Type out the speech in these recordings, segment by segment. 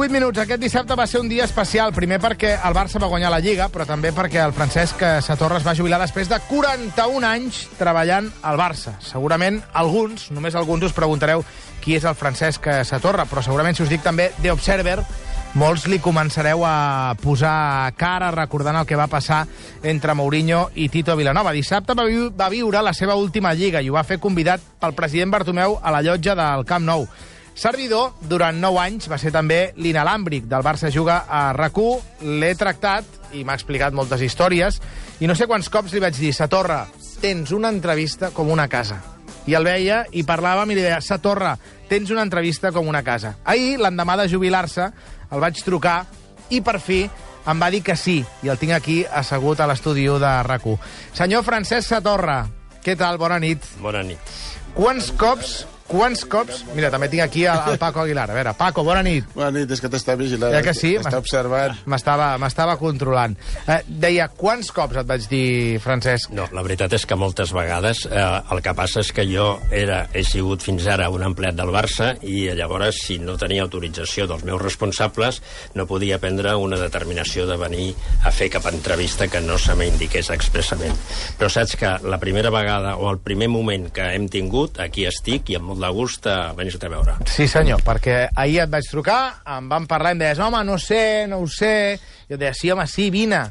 8 minuts. Aquest dissabte va ser un dia especial. Primer perquè el Barça va guanyar la Lliga, però també perquè el Francesc Satorra es va jubilar després de 41 anys treballant al Barça. Segurament alguns, només alguns, us preguntareu qui és el Francesc Satorra, però segurament si us dic també The Observer, molts li començareu a posar cara recordant el que va passar entre Mourinho i Tito Vilanova. Dissabte va viure la seva última Lliga i ho va fer convidat pel president Bartomeu a la llotja del Camp Nou. Servidor, durant 9 anys, va ser també l'inalàmbric del Barça Juga a RAC1. L'he tractat i m'ha explicat moltes històries i no sé quants cops li vaig dir: Satorra, tens una entrevista com una casa. I el veia i parlàvem i li deia: Satorra, tens una entrevista com una casa. Ahir, l'endemà de jubilar-se, el vaig trucar i per fi em va dir que sí, i el tinc aquí assegut a l'estudi de RAC1. Senyor Francesc Satorra, què tal? Bona nit. Bona nit. Quants cops... Mira, també tinc aquí el Paco Aguilar. A veure, Paco, bona nit. Bona nit, és que t'està vigilant. Ja que sí? T'està observant. M'estava controlant. Deia, quants cops et vaig dir, Francesc? No, la veritat és que moltes vegades. El que passa és que jo he sigut fins ara un empleat del Barça i llavors, si no tenia autorització dels meus responsables, no podia prendre una determinació de venir a fer cap entrevista que no se m'indiqués expressament. Però saps que la primera vegada o el primer moment que hem tingut, aquí estic i amb molt de gust a venir-te a veure. Sí, senyor, perquè ahir et vaig trucar, em van parlar i em deies: home, no ho sé. Jo et deia: sí, home, sí, vine.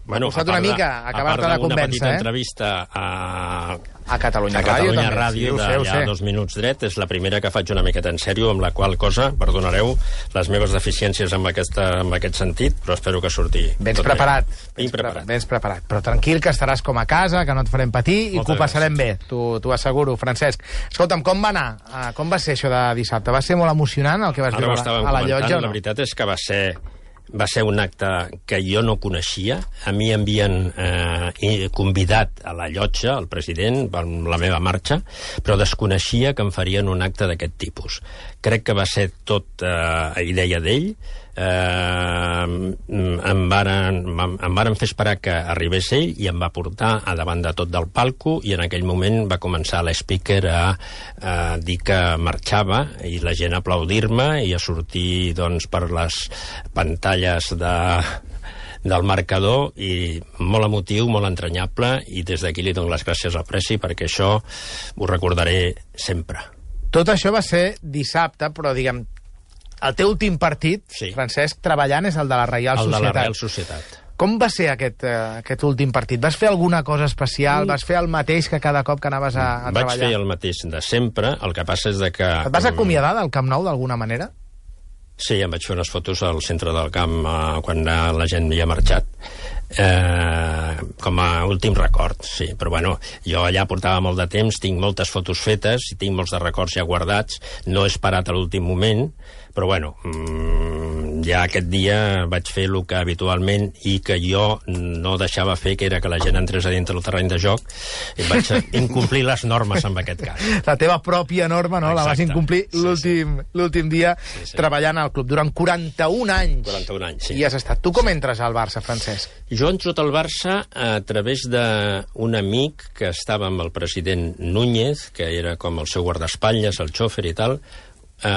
Bueno, a una mica a acabar-te de convèncer. A part d'una petita entrevista a Catalunya Ràdio, d'allà 2 minuts dret, és la primera que faig una miqueta en sèrio, amb la qual cosa, perdonareu les meves deficiències en aquest sentit, però espero que surti ben preparat. Però tranquil, que estaràs com a casa, que no et farem patir i que ho passarem bé, t'ho asseguro, Francesc. Escolta'm, com va anar? Com va ser això de dissabte? Va ser molt emocionant el que vas viure a la llotja? La veritat és que va ser un acte que jo no coneixia. A mi havien convidat a la llotja, el president, per la meva marxa, però desconeixia que em farien un acte d'aquest tipus. Crec que va ser tot idea d'ell. Em varen fer esperar que arribés ell i em va portar a davant de tot del palco i en aquell moment va començar l'speaker a dir que marxava i la gent a aplaudir-me i a sortir doncs, per les pantalles del marcador, i molt emotiu, molt entranyable, i des d'aquí li dono les gràcies al Presi perquè això ho recordaré sempre. Tot això va ser dissabte, però diguem, el teu últim partit, sí, Francesc, treballant, és el de la Reial Societat. El de la Reial Societat. Com va ser aquest últim partit? Vas fer alguna cosa especial? Vas fer el mateix que cada cop que anaves a treballar? Vaig fer el mateix de sempre, el que passa és que... Et vas acomiadar del Camp Nou d'alguna manera? Sí, em vaig fer unes fotos al centre del camp quan la gent havia marxat. Com a últim record, sí. Però bueno, jo allà portava molt de temps, tinc moltes fotos fetes i tinc molts de records ja guardats. No he esperat a l'últim moment, però bueno, ja aquest dia vaig fer el que habitualment i que jo no deixava fer, que era que la gent entrés a dintre del terreny de joc, i vaig incomplir les normes en aquest cas. La teva pròpia norma, no? Exacte. La vas incomplir l'últim dia treballant al club. Durant 41 anys. 41 anys, sí. I has estat. Tu com entres al Barça, Francesc? Jo entro al Barça a través d'un amic que estava amb el president Núñez, que era com el seu guardaespatlles, el xòfer i tal,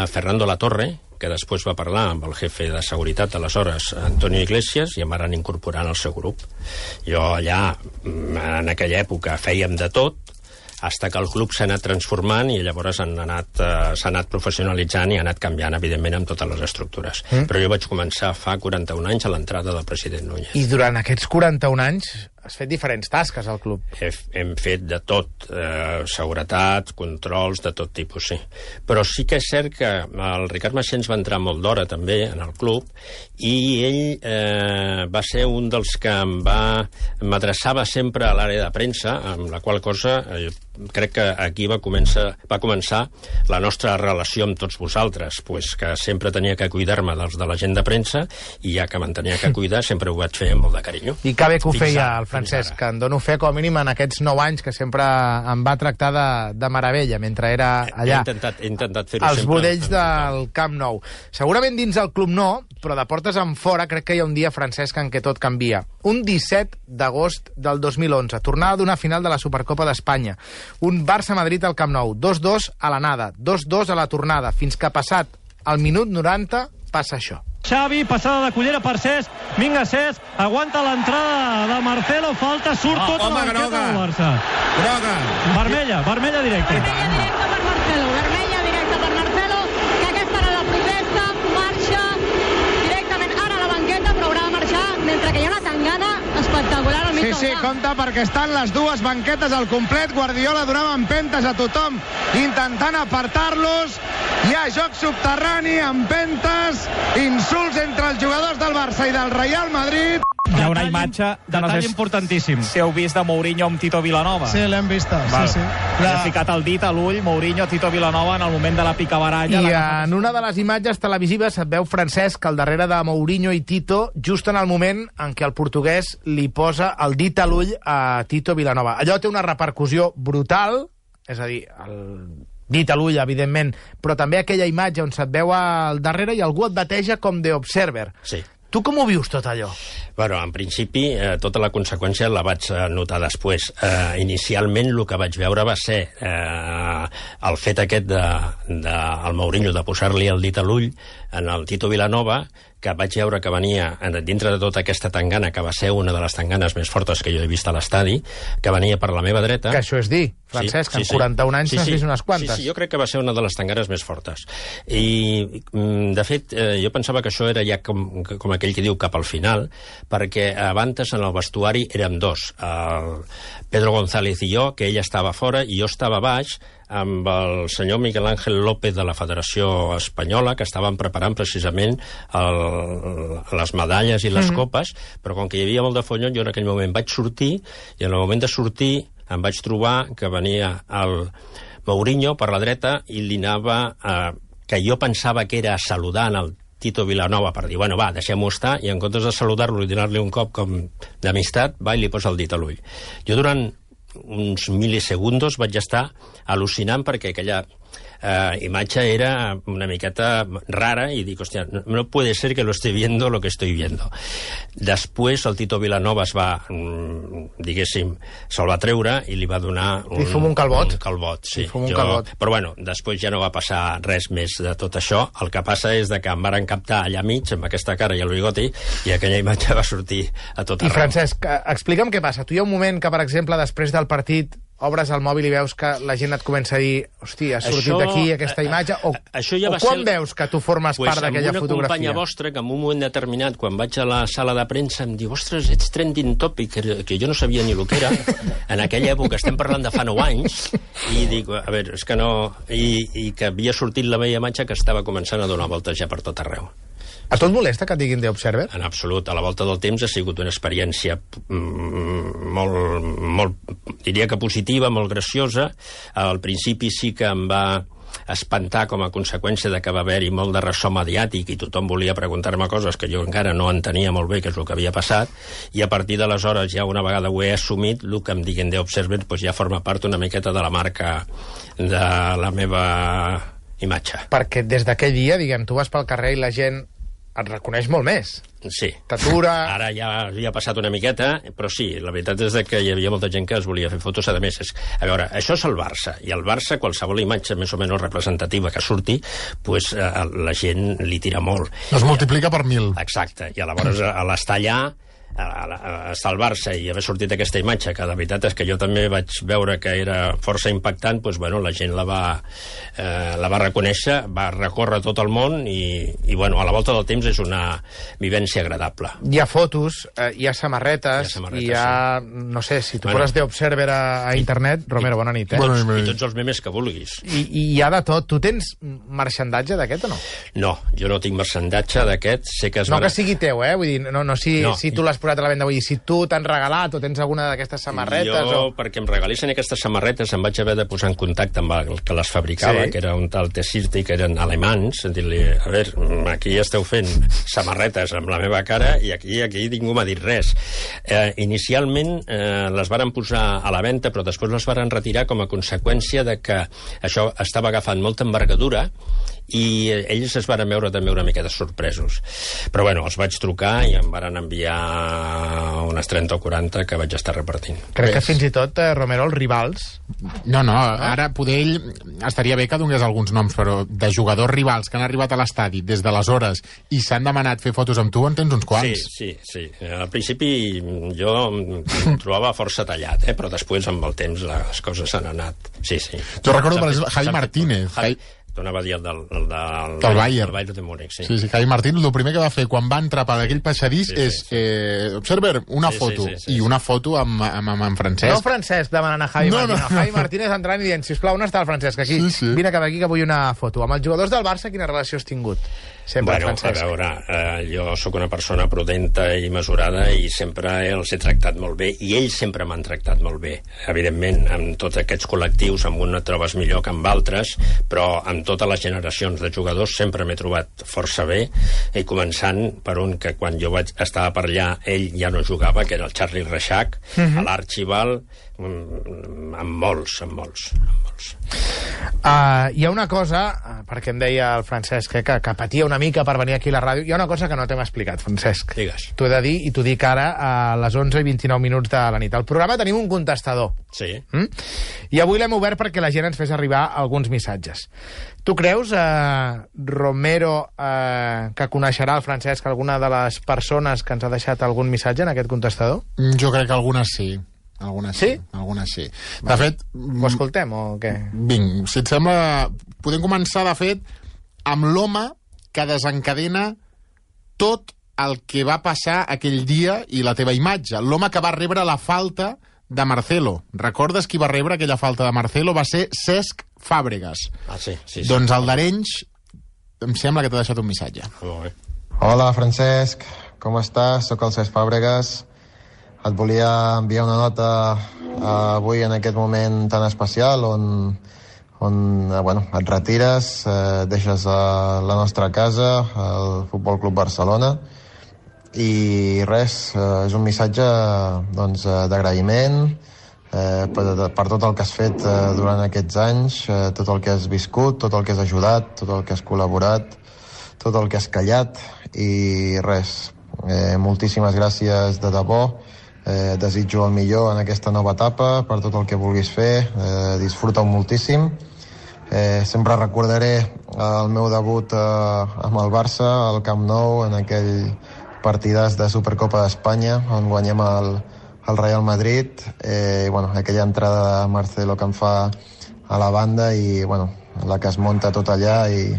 Fernando Latorre, que després va parlar amb el jefe de seguretat aleshores, Antonio Iglesias, i em van incorporar al seu grup. Jo allà, en aquella època, fèiem de tot, fins que el club s'ha anat transformant i llavors s'ha anat professionalitzant i ha anat canviant, evidentment, amb totes les estructures. Però jo vaig començar fa 41 anys a l'entrada del president Núñez. I durant aquests 41 anys has fet diferents tasques al club. Hem fet de tot, seguretat, controls, de tot tipus, sí. Però sí que és cert que el Ricard Maxens va entrar molt d'hora també en el club i ell va ser un dels que m'adreçava sempre a l'àrea de premsa, amb la qual cosa crec que aquí va començar la nostra relació amb tots vosaltres, pues que sempre tenia que cuidar-me dels de la gent de premsa i ja que me'n tenia que cuidar sempre ho vaig fer amb molt de carinyo. I que bé que ho feia el Francesc, que en dono fe com a mínim en aquests 9 anys que sempre em va tractar de meravella mentre era allà. He intentat fer-ho sempre. Els budells del Camp Nou. Segurament dins el club no, però de portes en fora crec que hi ha un dia, Francesc, en què tot canvia. Un 17 d'agost del 2011, tornada d'una final de la Supercopa d'Espanya. Un Barça-Madrid al Camp Nou, 2-2 a l'anada, 2-2 a la tornada, fins que passat al minut 90 passa això. Xavi, passada de Cullera per Cesc, vinga Cesc, aguanta l'entrada de Marcelo, falta, surt tota la banqueta del Barça. Groga. Vermella directa. Vermella directa per Marcelo, que aquesta era la protesta, marxa directament ara a la banqueta, però haurà de marxar mentre que hi ha una tangana espectacular al mig del camp. Sí, compte, perquè estan les dues banquetes al complet. Guardiola donava empentes a tothom intentant apartar-los. Hi ha joc subterrani, empentes, insults entre els jugadors del Barça i del Real Madrid. Hi ha una imatge de detall importantíssim. Si heu vist de Mourinho amb Tito Vilanova. Sí, l'hem vista, sí. Li ha ficat el dit a l'ull Mourinho, Tito Vilanova en el moment de la picabaralla. I en una de les imatges televisives et veu Francesc al darrere de Mourinho i Tito, just en el moment en què el portuguès li posa el dit a l'ull a Tito Vilanova. Allò té una repercussió brutal, és a dir, el dit a l'ull, evidentment, però també aquella imatge on se't veu al darrere i algú et bateja com de observer. Sí. Tu com ho vius, tot allò? Bueno, en principi, tota la conseqüència la vaig notar després. Inicialment, el que vaig veure va ser el fet aquest del Mourinho de posar-li el dit a l'ull en el Tito Vilanova, que vaig veure que venia dintre de tota aquesta tangana, que va ser una de les tanganes més fortes que jo he vist a l'estadi, que venia per la meva dreta. Que això és dir, Francesc, que en 41 anys n'has vist unes quantes. Sí, jo crec que va ser una de les tanganes més fortes. I, de fet, jo pensava que això era ja com aquell que diu cap al final, perquè abans en el vestuari érem dos, el Pedro González i jo, que ell estava fora i jo estava baix, amb el senyor Miguel Ángel López de la Federació Espanyola, que estaven preparant precisament les medalles i les copes, però com que hi havia molt de follon, jo en aquell moment vaig sortir, i en el moment de sortir em vaig trobar que venia el Mourinho per la dreta i li anava, que jo pensava que era saludant el Tito Vilanova per dir, bueno, va, deixem-ho estar, i en comptes de saludar-lo i donar-li un cop com d'amistat, va i li posa el dit a l'ull. Jo durant uns milisegundos vaig estar al·lucinant perquè aquella imatge era una miqueta rara i dic, hòstia, no puede ser que lo esté viendo lo que estoy viendo. Després el Tito Vilanova es va, diguéssim, se'l va treure i li va donar un calbot. Un calbot, sí. Un calbot. Però bueno, després ja no va passar res més de tot això. El que passa és que em varen captar allà mig amb aquesta cara i el bigoti i aquella imatge va sortir a tot arreu. I Francesc, explica'm què passa. Tu hi ha un moment que, per exemple, després del partit obres el mòbil i veus que la gent et comença a dir hòstia, ha sortit d'aquí aquesta imatge, o quan veus que tu formes part d'aquella fotografia? Una companya vostra que en un moment determinat, quan vaig a la sala de premsa, em diu, ostres, ets trending topic, que jo no sabia ni el que era. En aquella època, estem parlant de fa 9 anys, i dic, a veure, és que no... I que havia sortit la meva imatge que estava començant a donar voltes ja per tot arreu. A tu et molesta que et diguin The Observer? En absolut. A la volta del temps ha sigut una experiència molt, diria que positiva, molt graciosa. Al principi sí que em va espantar com a conseqüència de que va haver-hi molt de ressò mediàtic i tothom volia preguntar-me coses que jo encara no entenia molt bé què és el que havia passat, i a partir d'aleshores, ja una vegada ho he assumit, el que em diguin The Observer doncs ja forma part una miqueta de la marca de la meva imatge. Perquè des d'aquell dia, diguem, tu vas pel carrer i la gent et reconeix molt més. Sí. T'atura... Ara ja havia passat una miqueta, però sí, la veritat és que hi havia molta gent que es volia fer fotos. A més, a veure, això és el Barça, i el Barça, qualsevol imatge més o menys representativa que surti, pues, la gent li tira molt. Es multiplica per 1000. Exacte, i llavors a l'estar allà, estar al Barça i haver sortit aquesta imatge, que la veritat és que jo també vaig veure que era força impactant, doncs, bueno, la gent la va reconèixer, va recórrer tot el món i bueno, a la volta del temps és una vivència agradable. Hi ha fotos, hi ha samarretes, hi ha, no sé, si tu poses The Observer a internet, Romero, bona nit, I tots els memes que vulguis. I hi ha de tot. Tu tens marxandatge d'aquest o no? No, jo no tinc marxandatge d'aquest. Sé que que sigui teu, vull dir, no si tu l'has posat a la venda, vull dir, si tu t'han regalat o tens alguna d'aquestes samarretes... Jo, perquè em regalissin aquestes samarretes, em vaig haver de posar en contacte amb el que les fabricava, que era un tal Tessirte, que eren alemans, dir-li, a veure, aquí esteu fent samarretes amb la meva cara i aquí ningú m'ha dit res. Inicialment les varen posar a la venda, però després les varen retirar com a conseqüència de que això estava agafant molta envergadura i ells es van veure també una miqueta sorpresos. Però bueno, els vaig trucar i em van enviar unes 30 o 40 que vaig estar repartint. Crec que fins i tot, Romero, els rivals... No, ara poder ell estaria bé que donés alguns noms, però de jugadors rivals que han arribat a l'estadi des d'aleshores i s'han demanat fer fotos amb tu, en tens uns quants. Sí. Al principi jo em trobava força tallat, però després, amb el temps, les coses s'han anat. Sí. Jo recordo, per exemple, Javi Martínez. T'anava a dir el del Bayern de Múnich, sí. Sí, Javi Martínez, el primer que va fer quan va entrar per aquell passadís és observer, una foto. I una foto amb Francesc. No Francesc demanant a Javi Martínez. Javi Martínez entrant i dient, sisplau, on està el Francesc? Aquí, vine cap aquí que vull una foto. Amb els jugadors del Barça, quina relació has tingut? Sempre, Francesc. A veure, jo sóc una persona prudenta i mesurada i sempre els he tractat molt bé i ells sempre m'han tractat molt bé. Evidentment, amb tots aquests col·lectius, amb un et trobes millor que amb altres, però amb totes les generacions de jugadors sempre m'he trobat força bé, i començant per un que quan jo estava per allà ell ja no jugava, que era el Charlie Reixac, a l'Archibald, amb molts. Hi ha una cosa, perquè em deia el Francesc que patia una mica per venir aquí a la ràdio, hi ha una cosa que no t'hem explicat, Francesc. Digues. T'ho he de dir, i t'ho dic ara a les 11:29 de la nit. Al programa tenim un contestador. Sí. I avui l'hem obert perquè la gent ens fes arribar alguns missatges. Tu creus, Romero, que coneixerà el Francesc alguna de les persones que ens ha deixat algun missatge en aquest contestador? Jo crec que algunes sí. Algunes sí. De fet... Ho escoltem o què? Vinc, si et sembla... Podem començar, de fet, amb l'home que desencadena tot el que va passar aquell dia i la teva imatge. L'home que va rebre la falta de Marcelo. Recordes qui va rebre aquella falta de Marcelo? Va ser Cesc Fàbregas. Sí. Doncs el d'Arenys em sembla que t'ha deixat un missatge. Molt bé. Hola, Francesc. Com estàs? Soc el Cesc Fàbregas. Et volia enviar una nota avui en aquest moment tan especial on et retires, deixes la nostra casa, el Futbol Club Barcelona, i res, és un missatge d'agraïment per tot el que has fet durant aquests anys, tot el que has viscut, tot el que has ajudat, tot el que has col·laborat, tot el que has callat, i res, moltíssimes gràcies de debò. Desitjo el millor en aquesta nova etapa per tot el que vulguis fer, disfruta-ho moltíssim. Sempre recordaré el meu debut amb el Barça al Camp Nou, en aquell partidàs de Supercopa d'Espanya on guanyem el Real Madrid, aquella entrada de Marcelo que em fa a la banda i la que es munta tot allà, i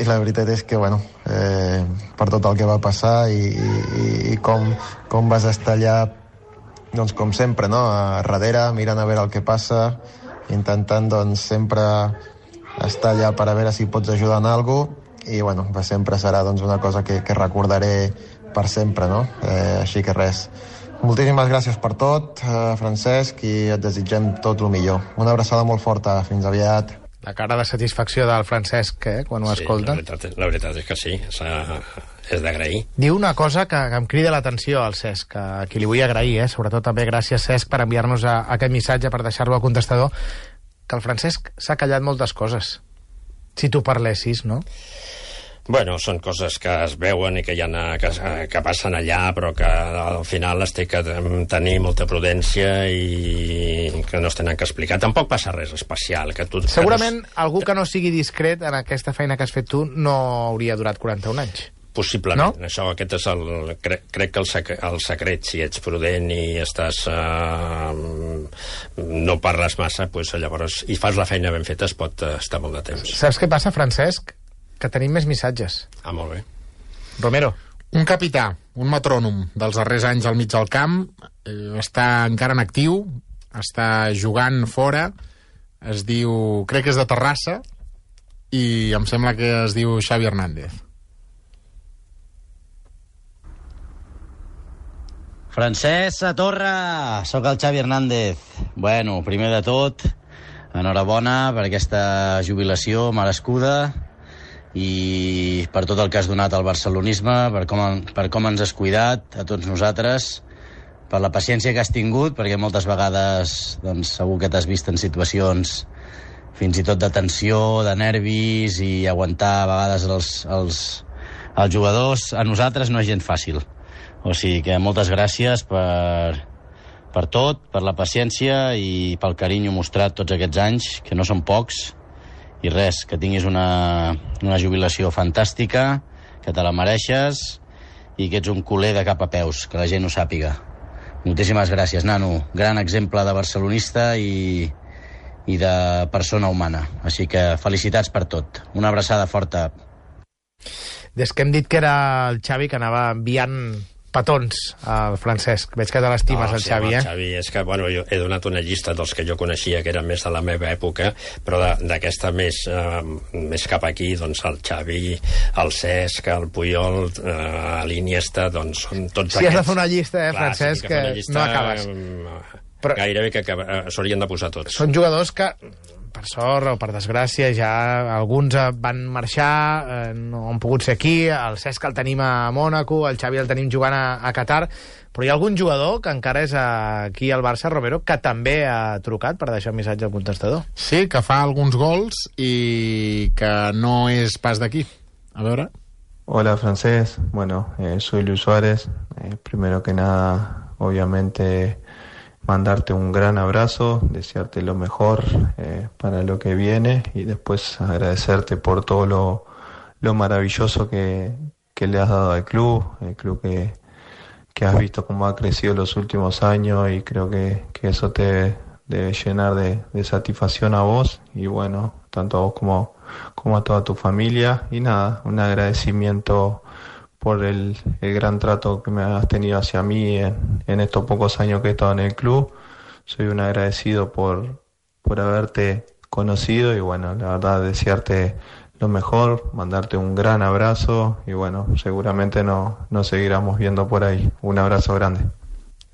la veritat és que, per tot el que va passar i com vas estar allà, doncs com sempre, no? A darrere, mirant a veure el que passa, intentant, sempre estar allà per a veure si pots ajudar en alguna cosa, i, sempre serà, una cosa que recordaré per sempre, no? Així que res. Moltíssimes gràcies per tot, Francesc, i et desitgem tot el millor. Una abraçada molt forta. Fins aviat. La cara de satisfacció del Francesc, quan ho escolta. La veritat és que sí, és d'agrair. Diu una cosa que em crida l'atenció al Cesc, a qui li vull agrair, sobretot també gràcies, Cesc, per enviar-nos aquest missatge, per deixar-lo al contestador, que el Francesc s'ha callat moltes coses. Si tu parlessis, no? Bueno, són coses que es veuen i que passen allà, però que al final es té que tenir molta prudència i que no es tenen que explicar. Tampoc passa res especial. Segurament algú que no sigui discret en aquesta feina que has fet tu no hauria durat 41 anys. Possiblement. No? Aquest és crec que el secret, si ets prudent i estàs no parles massa, llavors, i fas la feina ben feta, es pot estar molt de temps. Saps què passa, Francesc? Que tenim més missatges. Molt bé. Romero. Un capità, un metrònom dels darrers anys al mig del camp, està encara en actiu, està jugant fora, es diu, crec que és de Terrassa, i em sembla que es diu Xavi Hernández. Francesc Satorra, sóc el Xavi Hernández. Bueno, primer de tot, enhorabona per aquesta jubilació merescuda i per tot el que has donat al barcelonisme, per com ens has cuidat a tots nosaltres, per la paciència que has tingut, perquè moltes vegades segur que t'has vist en situacions fins i tot de tensió, de nervis, i aguantar a vegades els jugadors, a nosaltres no és gens fàcil. O sigui que moltes gràcies per tot, per la paciència i pel carinyo mostrat tots aquests anys, que no són pocs, i res, que tinguis una jubilació fantàstica, que te la mereixes i que ets un culer de cap a peus, que la gent ho sàpiga. Moltíssimes gràcies, nano. Gran exemple de barcelonista i de persona humana. Així que felicitats per tot. Una abraçada forta. Des que hem dit que era el Xavi que anava enviant petons al Francesc. Veig que te l'estimes, el Xavi, El Xavi, és que, bueno, jo he donat una llista dels que jo coneixia, que eren més de la meva època, però d'aquesta més cap aquí, doncs el Xavi, el Cesc, el Puyol, l'Iniesta, doncs són tots aquests. Si has de fer una llista, Francesc, que no acabes. Gairebé que s'haurien de posar tots. Són jugadors que, per sort o per desgràcia, ja alguns van marxar, no han pogut ser aquí, el Cesc el tenim a Mònaco, el Xavi el tenim jugant a Qatar, però hi ha algun jugador que encara és aquí al Barça, Romero, que també ha trucat per deixar un missatge al contestador. Sí, que fa alguns gols i que no és pas d'aquí. A veure... Hola, Francés. Bueno, soy Luis Suárez. Primero que nada, obviamente, mandarte un gran abrazo, desearte lo mejor para lo que viene y después agradecerte por todo lo maravilloso que le has dado al club, el club que has visto cómo ha crecido los últimos años, y creo que eso te debe llenar de satisfacción a vos y bueno, tanto a vos como a toda tu familia. Y nada, un agradecimiento por el gran trato que me has tenido hacia mí en estos pocos años que he estado en el club. Soy un agradecido por haberte conocido y bueno, la verdad, desearte lo mejor, mandarte un gran abrazo y bueno, seguramente nos seguiremos viendo por ahí. Un abrazo grande.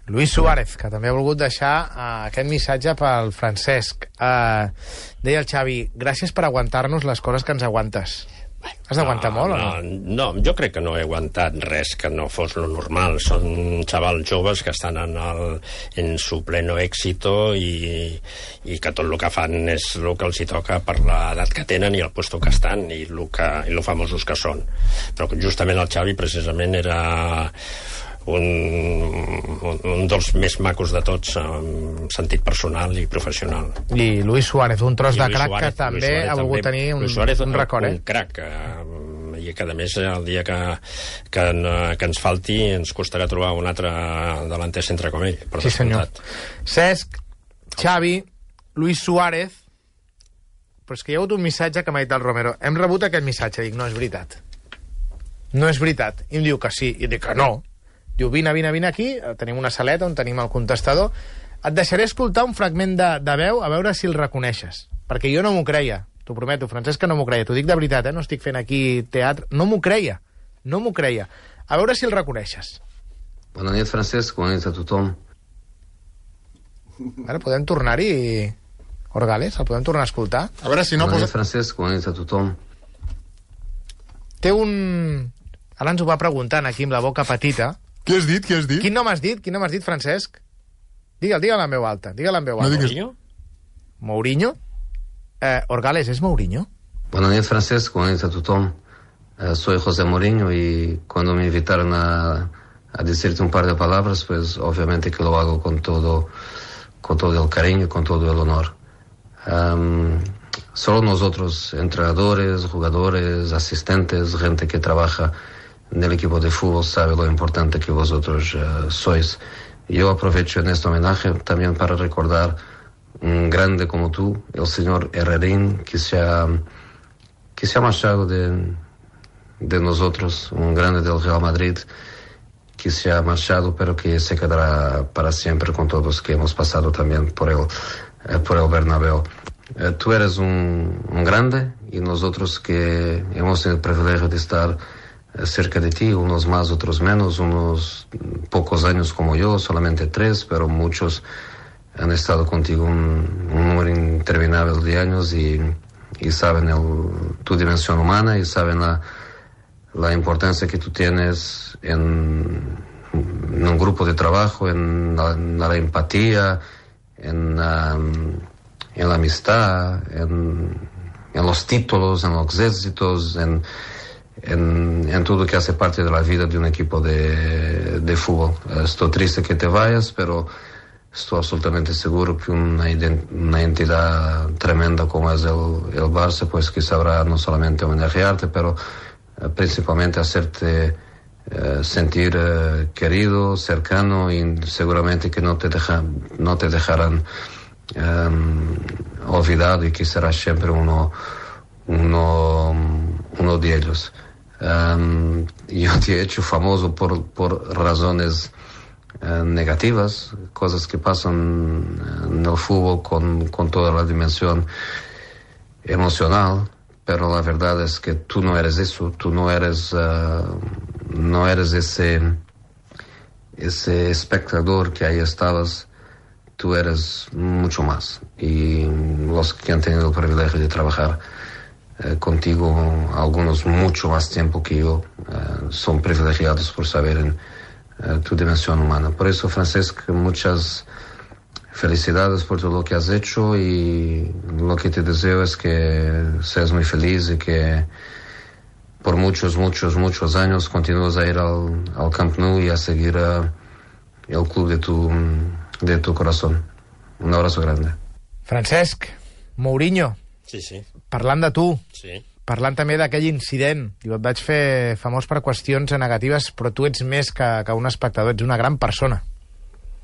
Luis Suárez, que també ha volgut deixar aquest missatge pel Francesc. Deia el Xavi, gràcies per aguantar-nos les coses que ens aguantes. Has d'aguantar molt o no? No, jo crec que no he aguantat res que no fos lo normal. Són xavals joves que estan en su pleno éxito i que tot el que fan és el que els hi toca per l'edat que tenen i el puesto que estan i lo famosos que són. Però justament el Xavi precisament era un dels més macos de tots en sentit personal i professional. I Luis Suárez, un tros de crac que també ha volgut tenir un record. Un crac, i que a més el dia que ens falti ens costarà trobar un altre delanter centre com ell. Sí, senyor. Cesc, Xavi, Luis Suárez, però és que hi ha hagut un missatge que m'ha dit el Romero. Hem rebut aquest missatge, dic, no és veritat. No és veritat. I em diu que sí, i dic que no. Diu, vine aquí, tenim una saleta on tenim el contestador. Et deixaré escoltar un fragment de veu a veure si el reconeixes, perquè jo no m'ho creia, t'ho prometo, Francesc, que no m'ho creia, t'ho dic de veritat, no estic fent aquí teatre, no m'ho creia. A veure si el reconeixes. Bona nit, Francesc, bona nit a tothom. Ara podem tornar-hi, Orgales, el podem tornar a escoltar? A veure si no... Bona nit, Francesc, bona nit a tothom. Té un... Ara ens ho va preguntant aquí amb la boca petita. Què has dit? Quin nom has dit, Francesc? Digue'l en veu alta. No digues... Mourinho? Orgales, ¿es Mourinho? Bona nit, Francesc, bona nit a tothom. Soy José Mourinho y cuando me invitaron a decirte un par de palabras, pues obviamente que lo hago con todo el cariño y con todo el honor. Solo nosotros, entrenadores, jugadores, asistentes, gente que trabaja en el equipo de fútbol, sabe lo importante que vosotros sois. Yo aprovecho en este homenaje también para recordar un grande como tú, el señor Herrerín, que se ha marchado de nosotros, un grande del Real Madrid, que se ha marchado, pero que se quedará para siempre con todos los que hemos pasado también por el Bernabéu. Tú eres un grande y nosotros que hemos tenido el privilegio de estar cerca de ti, unos más, otros menos, unos pocos años como yo, solamente 3, pero muchos han estado contigo un número interminable de años y saben tu dimensión humana y saben la importancia que tú tienes en un grupo de trabajo, en la empatía, en en la amistad, en los títulos, en los éxitos, en todo que hace parte de la vida de un equipo de fútbol. Estoy triste que te vayas, pero estoy absolutamente seguro que una entidad tremenda como es el Barça, pues que sabrá no solamente homenajearte, pero principalmente hacerte sentir querido, cercano, y seguramente que no te dejarán olvidado, y que será siempre uno de ellos. Yo te he hecho famoso por razones negativas, cosas que pasan en el fútbol con toda la dimensión emocional, pero la verdad es que tú no eres eso, tú no eres ese espectador que ahí estabas, tú eres mucho más. Y los que han tenido el privilegio de trabajar contigo, algunos mucho más tiempo que yo, son privilegiados por saber en tu dimensión humana. Por eso, Francesc, muchas felicidades por todo lo que has hecho, y lo que te deseo es que seas muy feliz y que por muchos años continúes a ir al Camp Nou y a seguir el club de tu corazón. Un abrazo grande. Francesc, Mourinho, sí. Parlant de tu, sí. Parlant també d'aquell incident, diu, et vaig fer famós per qüestions negatives, però tu ets més que un espectador, ets una gran persona.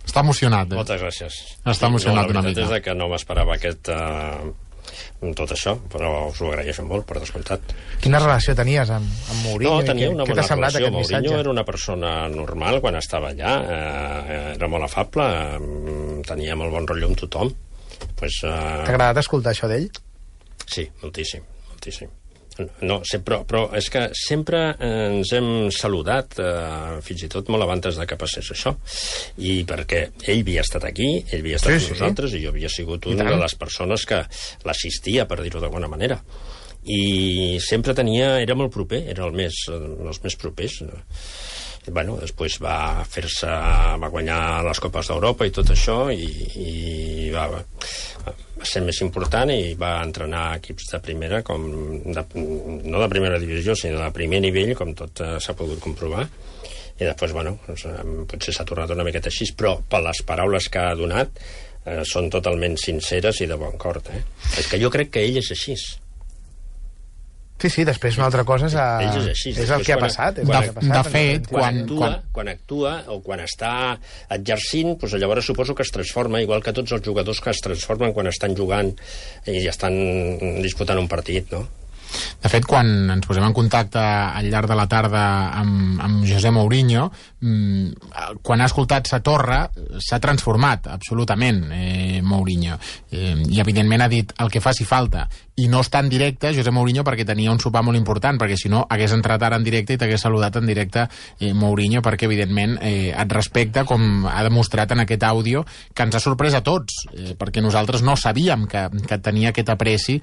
Està emocionat, Moltes gràcies. Està emocionat una mica. La veritat és que no m'esperava tot això, però us ho agraeixo molt, per descomptat. Quina relació tenies amb Mourinho? No, tenia una bona relació. Mourinho era una persona normal quan estava allà, era molt afable, tenia molt bon rotllo amb tothom. T'ha agradat escoltar això d'ell? Sí, moltíssim. No, però és que sempre ens hem saludat, fins i tot molt abans de que passés això, i perquè ell havia estat aquí, ell havia estat amb nosaltres, i jo havia sigut una de les persones que l'assistia, per dir-ho d'alguna manera, i sempre era molt proper, era els més propers. Bueno, després va guanyar les Copes d'Europa i tot això, i va ser més important, i va entrenar equips de primera, no de primera divisió, sinó de primer nivell, com tot s'ha pogut comprovar. I després, potser s'ha tornat una miqueta així, però per les paraules que ha donat són totalment sinceres i de bon cor. És que jo crec que ell és així. Sí, després una altra cosa és el que ha passat. De fet, quan actua o quan està exercint, llavors suposo que es transforma, igual que tots els jugadors que es transformen quan estan jugant i estan disputant un partit, no? De fet, quan ens posem en contacte al llarg de la tarda amb José Mourinho, quan ha escoltat Sa Torre s'ha transformat absolutament Mourinho, i evidentment ha dit el que faci falta, i no està en directe José Mourinho perquè tenia un sopar molt important, perquè si no hagués entrat ara en directe i t'hagués saludat en directe Mourinho, perquè evidentment et respecta, com ha demostrat en aquest àudio, que ens ha sorprès a tots, perquè nosaltres no sabíem que tenia aquest apreci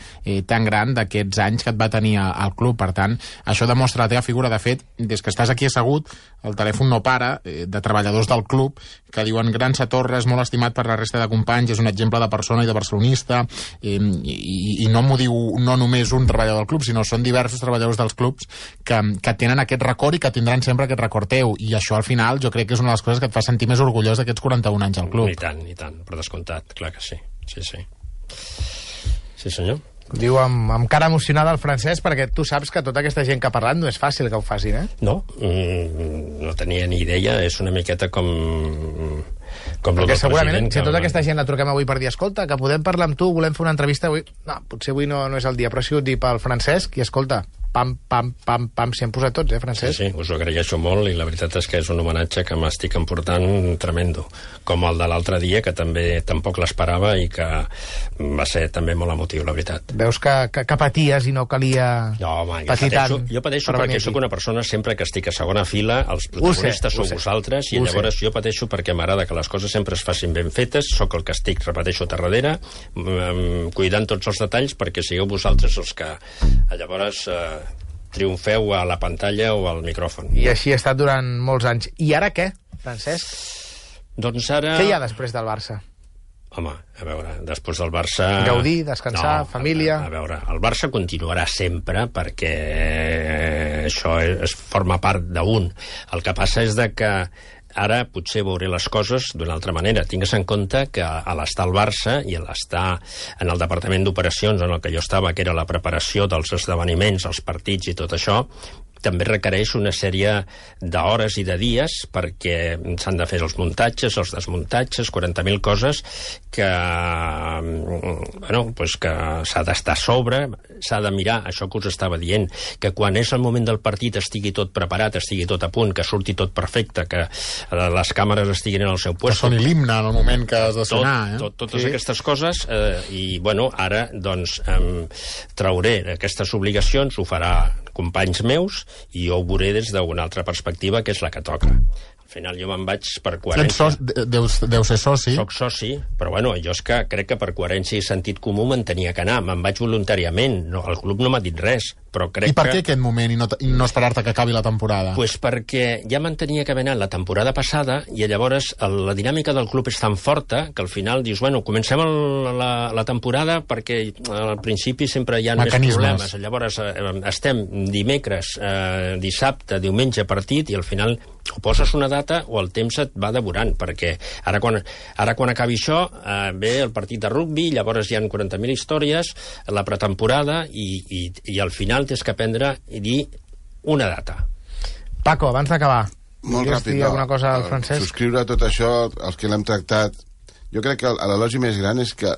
tan gran d'aquests anys que et va tenir al club. Per tant, això demostra la teva figura. De fet, des que estàs aquí assegut, el telèfon no para, de treballadors del club que diuen: gran Sa Torre, és molt estimat per la resta de companys, és un exemple de persona i de barcelonista, i no m'ho diu no només un treballador del club, sinó són diversos treballadors dels clubs que tenen aquest record i que tindran sempre aquest record teu, i això al final jo crec que és una de les coses que et fa sentir més orgullós d'aquests 41 anys al club. I tant, per descomptat, clar que sí. Sí, senyor. Diu amb cara emocionada el Francesc, perquè tu saps que tota aquesta gent que ha parlat no és fàcil que ho facin, No, no tenia ni idea, és una miqueta com perquè segurament, si tota aquesta gent la truquem avui per dir: escolta, que podem parlar amb tu, volem fer una entrevista avui, no, potser avui no és el dia, però ha sigut dir pel Francesc, i escolta, pam, s'hi han posat tots, Francesc? Sí, us ho agraeixo molt, i la veritat és que és un homenatge que m'estic emportant tremendo, com el de l'altre dia, que també tampoc l'esperava i que va ser també molt emotiu, la veritat. Veus que paties i no calia patir tant. Jo pateixo perquè sóc una persona, sempre que estic a segona fila, els protagonistes sou vosaltres, i llavors jo pateixo perquè m'agrada que les coses sempre es facin ben fetes, sóc el que estic, repeteixo, darrere, cuidant tots els detalls perquè sigueu vosaltres els que llavors triomfeu a la pantalla o al micròfon. I així ha estat durant molts anys. I ara què, Francesc? Doncs ara... Què hi ha després del Barça? Home, a veure, després del Barça... Gaudir, descansar, família... A veure, el Barça continuarà sempre perquè això forma part d'un. El que passa és que ara potser veuré les coses d'una altra manera. Tingues en compte que a l'estar al Barça i a l'estar en el departament d'operacions en el que jo estava, que era la preparació dels esdeveniments, els partits i tot això, també requereix una sèrie d'hores i de dies perquè s'han de fer els muntatges, els desmuntatges, 40.000 coses que, bueno, pues que s'ha d'estar a sobre, s'ha de mirar, això que us estava dient, que quan és el moment del partit estigui tot preparat, estigui tot a punt, que surti tot perfecte, que les càmeres estiguin en el seu lloc. Que soni l'himne en el moment que has de sonar. Totes aquestes coses, i bueno, ara doncs trauré aquestes obligacions, ho farà companys meus, i jo ho veuré des d'una altra perspectiva, que és la que toca. Al final jo me'n vaig per coherència. Deu ser soci. Soc soci, però bueno, jo és que crec que per coherència i sentit comú me'n tenia que anar. Me'n vaig voluntàriament. No, el club no m'ha dit res, però crec que... I per què aquest moment i no esperar-te que acabi la temporada? Pues perquè ja me'n tenia que haver anat la temporada passada i llavors la dinàmica del club és tan forta que al final dius, bueno, comencem la temporada perquè al principi sempre hi ha més problemes. Llavors estem dimecres, dissabte, diumenge partit i al final o poses una data o el temps et va devorant, perquè ara quan acabi això ve el partit de rugbi, llavors hi ha 40.000 històries, la pretemporada i al final tens que aprendre i dir una data. Paco, abans d'acabar, molt ràpid, alguna cosa al Francesc? Subscriure tot això, els que l'hem tractat. Jo crec que l'elogi més gran és que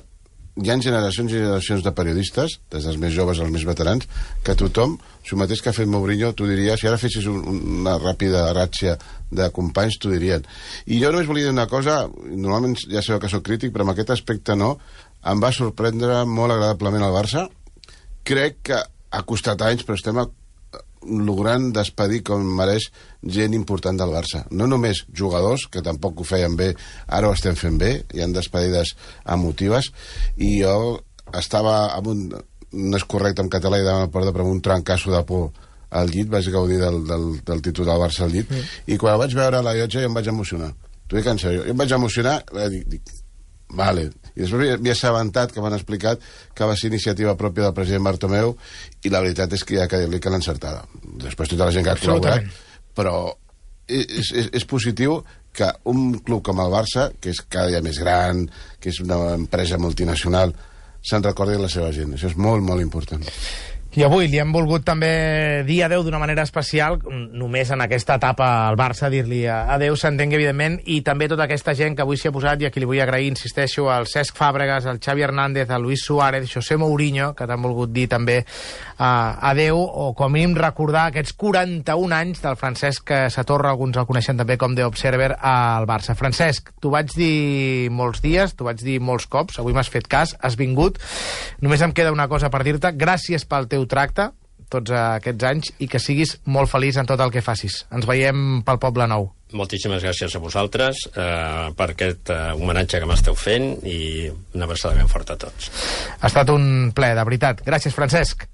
hi ha generacions i generacions de periodistes, des dels més joves als més veterans, que tothom, si el mateix que ha fet Mourinho, t'ho diria, si ara fessis una ràpida ràtxia de companys, t'ho dirien. I jo només volia dir una cosa, normalment ja sabeu que sóc crític, però en aquest aspecte no, em va sorprendre molt agradablement el Barça. Crec que ha costat anys, però estem logrant despedir com mereix gent important del Barça. No només jugadors, que tampoc ho feien bé, ara ho estem fent bé, hi ha despedides emotives, i jo estava amb no és correcte en català i demano perdó, però amb un trencasso de por al llit, vaig gaudir del títol del Barça al llit, i quan vaig veure la llotja jo em vaig emocionar. T'ho dic en sèrio, jo em vaig emocionar, dic, vale. I després m'he assabentat que m'han explicat que va ser iniciativa pròpia del president Bartomeu i la veritat és que hi ha que dir-li que l'ha encertada. Després tota la gent que ha col·laborat, però és positiu que un club com el Barça, que és cada dia més gran, que és una empresa multinacional, se'n recordi la seva gent. Això és molt, molt important. I avui li hem volgut també dir adeu d'una manera especial, només en aquesta etapa al Barça, dir-li adeu, s'entengui evidentment, i també tota aquesta gent que avui s'hi ha posat i a qui li vull agrair, insisteixo, al Cesc Fàbregas, al Xavi Hernández, al Luis Suárez, José Mourinho, que t'han volgut dir també adeu, o com a mínim recordar aquests 41 anys del Francesc Satorra, alguns el coneixen també com The Observer, al Barça. Francesc, t'ho vaig dir molts dies, t'ho vaig dir molts cops, avui m'has fet cas, has vingut, només em queda una cosa per dir-te, gràcies pel teu tracte tots aquests anys i que siguis molt feliç en tot el que facis. Ens veiem pel Poble Nou. Moltíssimes gràcies a vosaltres per aquest homenatge que m'esteu fent i una abraçada ben forta a tots. Ha estat un plaer, de veritat. Gràcies, Francesc.